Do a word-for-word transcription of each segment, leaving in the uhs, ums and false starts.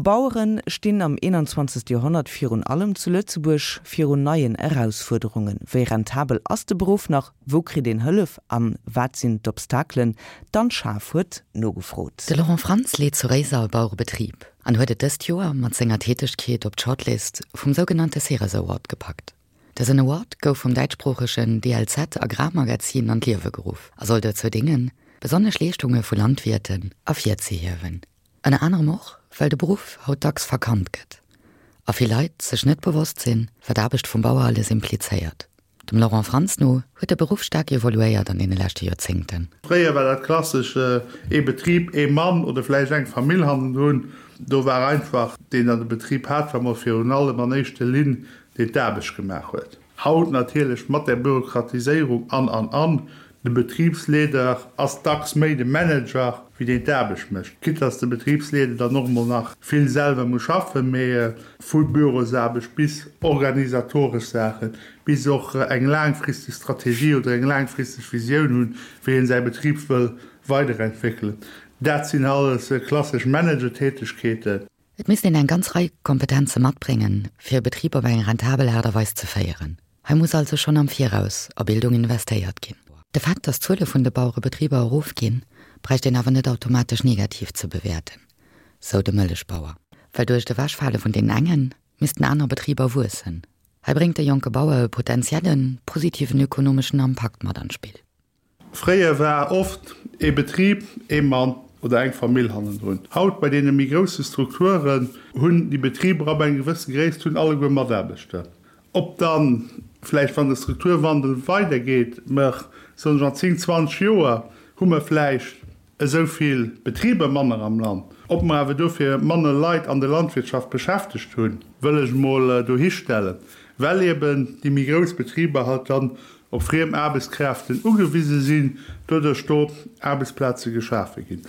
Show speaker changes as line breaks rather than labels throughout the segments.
Baueren stinn am einundzwanzegste Joerhonnert virun allem zu Lëtzebuerg virun neien Erausfuerderungen. Wéi rentabel ass de Beruff nach, wou kritt een Hëllef an wat sinn d'Obstakelen? D'Anne Schaaf huet nogefrot.
De Laurent Franz leet zu Réiser e Bauerebetrib an huet et dëst Joer mat senger Tätegkeet op d'Shortlist vum sougenannte Ceres Award gepackt. Dësen Award gouf vum däitschsproochegen D L Z Agrarmagazin an d'Liewe geruff a soll dozou déngen, besonnesch Leeschtunge vu Landwierten ervirzehiewen. Ënner anerem och, well de Beruff haut dacks verkannt gëtt a vill Leit sech net bewosst sinn, wat d'Aarbecht vum Bauer alles implizéiert. Dem Laurent Franz no huet de Beruff staark evoluéiert an deene leschte Joerzéngten.
Fréier war dat klassesch ee Betrib, ee Mann oder vläicht eng Famill hannendrun. Do war einfach deen, der de Betrib hat, war mol virun allem an éischter Linn, deen d'Aarbecht gemaach huet. Haut natierlech mat der Bürokratiséierung an, an, an. De Betribsleeder ass dacks méi de Manager, wéi deen d'Aarbecht mécht. Quitte dass de Betribsleeder dann och mol nach vill selwer muss schaffen, mee vu Bürosaarbecht bis organisatoresch Saachen, bis och eng laangfristeg Strategie oder eng laangfristeg Visioun hunn, wéi een säi Betrib wëll weiderentwéckelen. Dat sinn alles klassesch Managertätegkeeten.
Et misst een eng ganz Rei Kompetenze matbréngen, fir e Betrib op eng rentabel Aart a Weis ze féieren. Hei muss also schonn am Viraus a Bildung investéiert ginn. De Fakt, dass d'Zuele vun de Bauerebetriber erofginn, bräicht een awer net automatesch negativ ze bewäerten, sou de Mëllechbauer. Well duerch d'Ewechfale vun deenen engen missten aner Betriber wuessen. Hei bréngt de jonke Bauer e potenziellen, positiven ökonomeschen Impakt mat an d'Spill.
Fréier war oft ee Betrib, ee Mann oder eng Famill hannendrun. Haut bei deene méi grousse Strukturen hunn déi Betriber ab enger gewësse Gréisst hunn alleguer Mataarbechter. Ob dann vläicht, wann de Strukturwandel weidergeet, mer soen ech an zéng, zwanzeg Joer hu mer vläicht esou vill Betriber manner am Land. Ob mer awer dofir manner Leit an der Landwirtschaft beschäftegt hunn, wëll ech mol dohistellen, well eben déi méi grouss Betriber halt dann op friem Aarbechtskräften ugewise sinn, doduerch do Aarbechtsplaze geschafe ginn.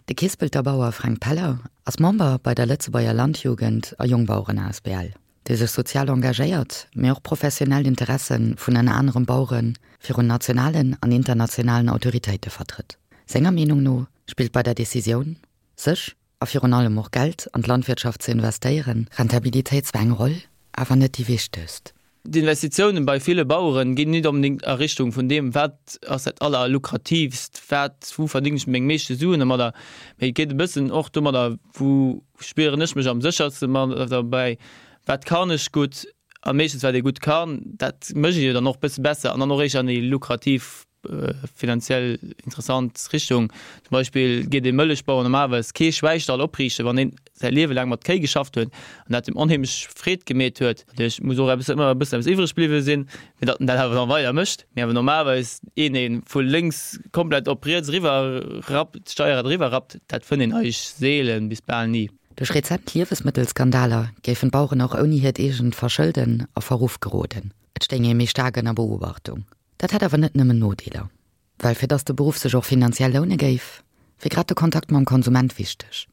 De Keespelter Bauer Fränk Peller ass Member bei der Lëtzebuerger Landjugend a Jongbaueren A S B L, déi sech sozial engagéiert, mee och professionell d'Interesse vun ënner anerem Bauere virun nationalen an internationalen Autoritéite vertrëtt. Senger Meenung no spillt bei der Decisioun, sech a virun allem och Geld an d'Landwirtschaft ze investéieren, Rentabilitéit zwar eng Roll, awer net déi wichtegst.
D'Investitiounen bei ville Baueren ginn net unbedingt a Richtung vun deem, wat ass dat allerlukrativst, wat, wou verding ech meng meeschte Suen domadder. Mee et geet e bëssen och domadder, wou spieren ech mech am séchersten mat dabei, wat kann ech gutt, a meeschtens wat ee gutt kann, dat mécht ee jo dann och e bësse besser an dann och éischter an déi lukrativ, finanziell interessant Richtung. Zum Beispill geet ee Mëllechbauer normalerweis kee Schwäistall opriichten, wann een säi Liewe laang mat Kéi geschafft huet an dat em onheemlech Freed gemeet huet. Natierlech muss och eppes ëmmer e bëssen eppes iwwreg bliwwe sinn, fir datt en dat awer dann weider mécht. Mee awer normalerweis een, dee vu lénks komplett op riets eriwwer rappt, d'Steierrad eriwwer rappt, dat fënnt een eigentlech seelen bis bal ni.
Duerch rezent Liewesmëttelskandaler géifen d'Baueren och ouni hiert eegent Verschëlden a Verruff geroden. Et stéing ee méi staark ënner Beobachtung. Dat hätt awer net nëmmen Nodeeler. Well fir datt de Beruff sech och finanziell loune géif, wier grad de Kontakt mam Konsument wichteg.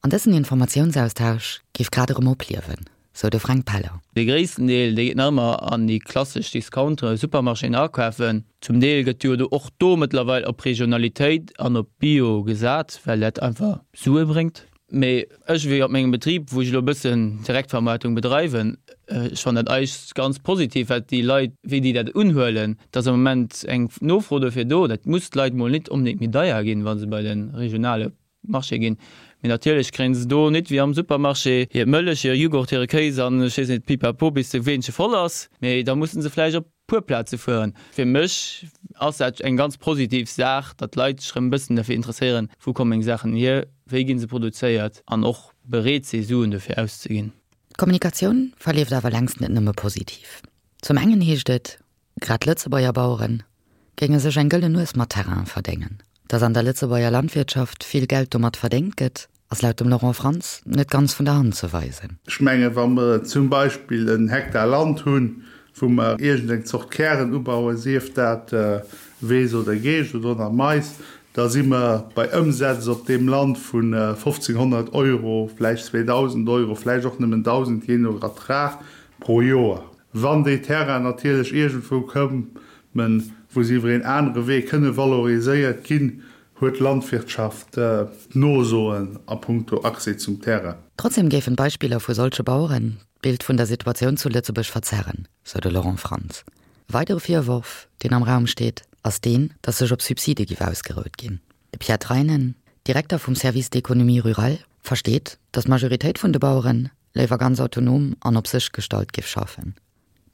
An dësen Informatiounsaustausch géif grad erëm opliewen, sou de Fränk Peller.
De gréissten Deel, dee geet nach ëmmer an déi klassesch Discountere, Supermarchéen akafen. Zum Deel gëtt jo och do mëttlerweil op Regionalitéit an op Bio gesat, well dat einfach Sue bréngt. Mee ech wéi op mengem Betrib, wou ech elo e bëssen Direktvermarktung bedreiwen, ech fannen dat eigentlech ganz positiv, wat déi Leit, wéi déi dat unhuelen, dass am Moment eng Nofro dofir do, dat muss d'Leit mol net onbedéngt méi deier ginn, wa se bei de regionale Marché ginn. Mee natierlech kréien se do net wéi am Supermarché hir Mëllech, hire Jughurt, hire Kéis an ech weess net, pipapo, bis de Weenche voll ass. Mee da mussen se vläicht op puer Plaze fueren. Fir mech ass dat eng ganz positiv Saach, datt d'Leit sech erëm e bëssen dafir interesséieren, wou kommen meng Saachen hier, wéi ginn se produzéiert an och bereet si Suen dofir auszeginn.
D'Kommunikatioun verleeft awer längst net nëmme positiv. Zum engen heescht et, grad Lëtzebuerger Baueren géinge sech eng gëllen Nues mat Terrain verdéngen. Dass an der Lëtzebuerger Landwirtschaft vill Geld domat verdéngt gëtt, ass laut dem Laurent Franz net ganz vun der Hand ze weisen.
Ech menge wa mer zum Beispill en Hektar Land hunn, wou mer iergendeng Zort Kären ubauen, sief dat Weess oder Geescht oder nach Mais, da si mer bei Ëmsätz op deem Land vun fofzehnhonnert Euro, vläicht zweedausend Euro, vläicht och nëmmen dausend, jee no Ertrag pro Joer. Wann déi Terrain natierlech iergendwou kommen, wou se iwwer een anere Wee kënne valoriséiert ginn, huet d'Landwirtschaft d'Nosoen a puncto Accès zum Terrain.
Trotzdem géifen Beispiller vu solche Baueren d'Bild vun der Situatioun zu Lëtzebuerg verzerren, sou de Laurent Franz. E weidere Virworf, deen am Raum steet, ass deen, datt sech op Subside géif ausgerout ginn. De Pierre Treinen, Direkter vum Service d'économie rurale, versteet, datt d'Majoritéit vun de Baueren léiwer ganz autonom an op sech gestallt géif schaffen.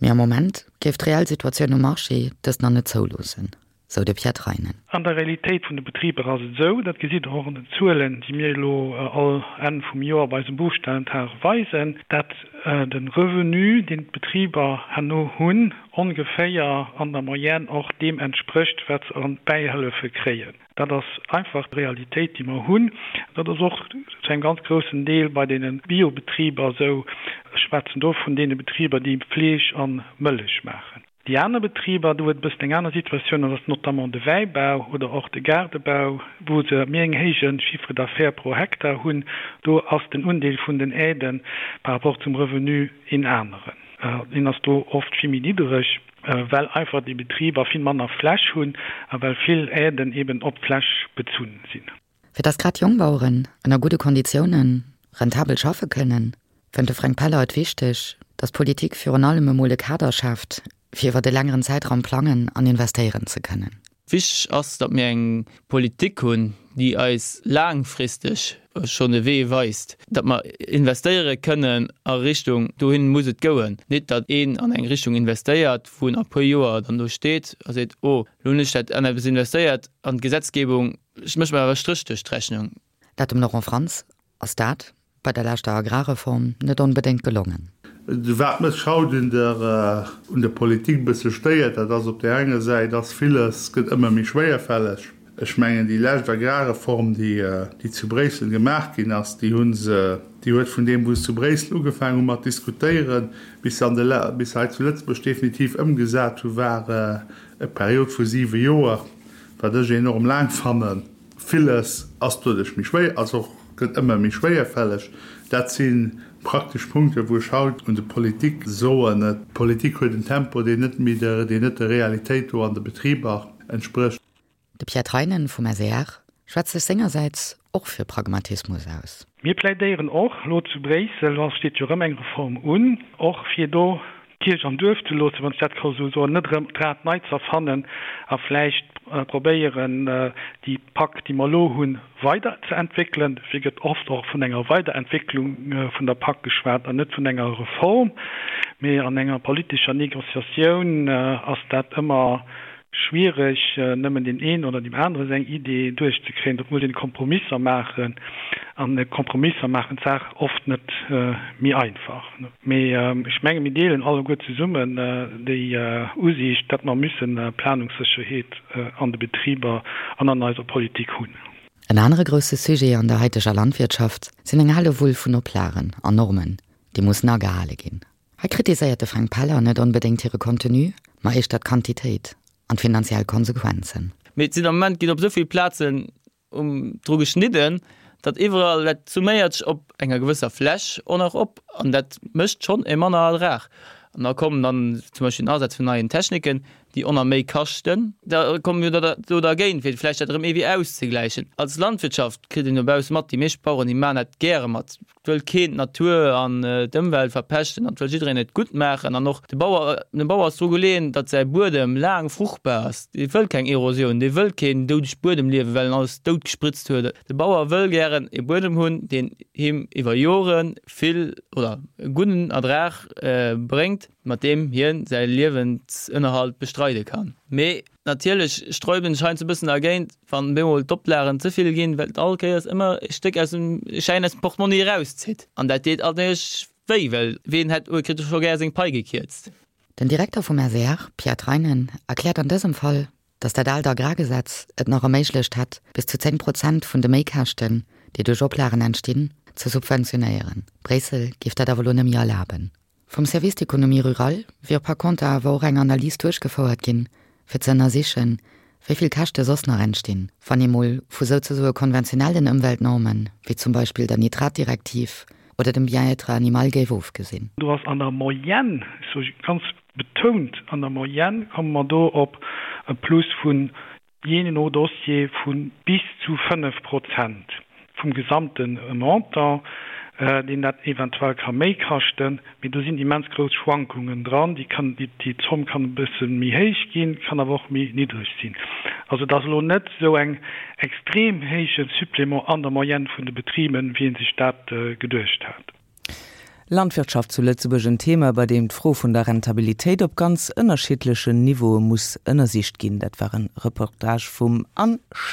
Mee am Moment géif d'reell Situatioun um Marché dëst nach net zouloossen, sou de Pierre Treinen.
An der Realitéit vun de Betriber ass et esou, dat gesitt Der och an den Zuelen, déi mir elo all Enn vum Joer bei eisem Buchstellentag weisen, dat de Revenu, deen d'Betriber herno hunn, ongeféier an der Moyenne och deem entsprécht, wat se an Bäihëllefe kréien. Dat ass einfach d'Realitéit, déi mer hunn. Dat ass och zu engem ganz groussen Deel bei deene Biobetriber esou. Ech schwätzen do vun deene Betriber, déi Fleesch a Mëllech maachen. Déi aner Betriber, do huet e bëssen eng aner Situatioun, dat ass notamment de Wäibau oder och de Gaardebau, wou se méi eng héije Chiffre d'affaires pro Hektar hunn. Do ass den Undeel vun den Aiden par rapport zum Revenu een aneren. Deen ass do oft vill méi niddereg, well einfach déi Betriber vill manner Fläch hunn a well vill Aiden eben op d'Fläch bezunn sinn.
Fir dass grad Jongbaueren ënner gudde Konditioune rentabel schaffe kënnen, fënnt de Fränk Peller et wichteg, dass d'Politik virun allem emol e Kader schaaft, fir iwwert e längeren Zäitraum plangen an investéieren ze kënnen.
Wichteg ass, datt mir eng Politik hunn, déi eis laangfristeg schonn de Wee weist, datt mer investéiere kënnen a Richtung, dohin muss et gouen. Nit datt een an eng Richtung investéiert, wou en a puer Joer dann do steet a seet, oh, elo hunn ech dat an eppes investéiert an d'Gesetzgebung mécht mer awer e Stréch duerch d'Rechnung.
Dat dem Laurent Franz ass dat bei der leschter Agrarreform net onbedéngt gelongen.
Wat mech haut un der un der Politik e bësse stéiert, dat ass op där enger Säit ass villes gëtt ëmmer méi schwéierfälleg. Ech mengen déi lescht Agrarreform, déi déi zu Bréissel gemaach ginn ass, déi hu se, déi huet vun deem wou se zu Bréissel ugefaangen hu mat diskutéieren, bis se an de bis se hei zu Lëtzebuerg definitiv ëmgesat hu war e Period vu siwe Joer, wat ech enorm laang fannen. Villes ass doduerch méi schwéier, ass och gëtt ëmmer méi schwéierfälleg. Dat si praktesch Punkte wou ech haut un de Politik soen, d'Politik huet en Tempo, deen net méi der, deen net der Realitéit do an de Betriber entsprécht.
De Pierre Treinen vum SER schwätzt sech sengersäits och fir Pragmatismus aus.
Mir plädéieren och elo zu Bréissel, do steet jo erëm eng Reform un, och fir do d'Kierch am Duerf ze loossen, wann ech dat ka esou soen, net erëm d'Rad nei ze erfannen a vläicht probéieren, déi Pak, déi mer elo hunn, weider ze entwéckelen. Dofir gëtt oft och vun enger Weiderentwécklung vun der Pak geschwat an net vun enger Reform. Mee an enger politescher Négociatioun ass dat ëmmer schwiereg, nëmmen deen een oder deem anere seng Idee duerchzekréien. Do muss een Kompromisser maachen an Kompromisser maachen d'Saach oft net méi einfach. Mee ech menge mir deelen alleguer zesummen déi Usiicht, datt mer müsse Planungssécherheet an de Betriber an an eiser Politik hunn.
En anere grousse Sujet an der haiteger Landwirtschaft sinn eng Hellewull vun Oplagen an Normen, déi mussen agehale ginn. Hei kritiséiert de Fränk Peller net onbedéngt hire Contenu, ma éischter d'Quantitéit an d'finanziell Konsequenzen.
Mee et sinn am Moment ginn op esou vill Plazen um dru geschnidden, datt iwwerall, dat summéiert sech op enger gewësser Fläch och nach op an dat mécht schonn e manner Ertrag. An da kommen dann zum Beispill den Asaz vun neien Techniken, déi och nach méi kaschten. Da komme mir da do dergéint, fir vläicht dat erëm iergendwéi auszegläichen. Als Landwirtschaft kritt een dobausse mat, déi meescht Baueren, déi maachen dat gäre mat. Et wëll keen d'Natur an d'Ëmwelt verpeschten an et wëll jiddereen et gutt maachen. An och de Bauer, dem Bauer ass dru geleeën, datt säi Buedem laang fruchtbar ass. Dee wëll keng Erosioun, dee wëll keen doudeg Buedem liewen, well en alles dout gespritzt huet. De Bauer wëll gären e Buedem hunn, deen him iwwer Jore vill oder e gudden Ertrag bréngt, mat deem hien säi Liewensënnerhalt bestreide kann. Mee natierlech sträuben ech heiansdo e bëssen dergéint, wann bemol d'Oplagen ze vill ginn, well et all Kéiers ëmmer e Stéck aus dem e Schäin aus dem Portmonni erauszitt. An dat deet natierlech wéi, well ween hätt kritt scho gär seng Pai gekierzt.
Den Direkter vum SER, Pierre Treinen, erkläert an dësem Fall, datt dat aalt Agrargesetz et nach erméiglecht hätt, bis zu zéng Prozent vun de Méikäschten, déi duerch Oplagen entstinn, ze subventionéieren. Bréissel géif dat awer elo net méi erlaben. Vum Service d'économie rurale wier par conter awer och eng Analys duerchgefouert ginn, fir ze ënnersichen, wéi vill Käschte soss nach entstinn, wann ee mol vu souzesoe konventionellen Ëmweltnormen, wéi zum Beispill der Nitratdirektiv oder dem Bien-être animal géif ofgesinn.
Do ass an der Moyenne, ech soe ganz betount an der Moyenne, komme mer do op e Plus vun, jee no Dossier, vu bis zu fënnef Prozent vum gesamte Montant. deen dat eventuell ka méi kaschten, mee do sinn immens grouss Schwankungen dran, déi kann, déi, déi Zomm kann e bësse méi héich ginn, kann awer och méi niddreg sinn. Also et ass elo net esou eng extrem héije Supplément an der Moyenne vun de Betriben, wéi ee sech dat geduecht hat.
Landwirtschaft zu Lëtzebuerg en Thema, bei deem d'Fro vun der Rentabilitéit op ganz ënnerschiddlechen Niveaue muss ënnersicht ginn. Dat war e Reportage vum Anne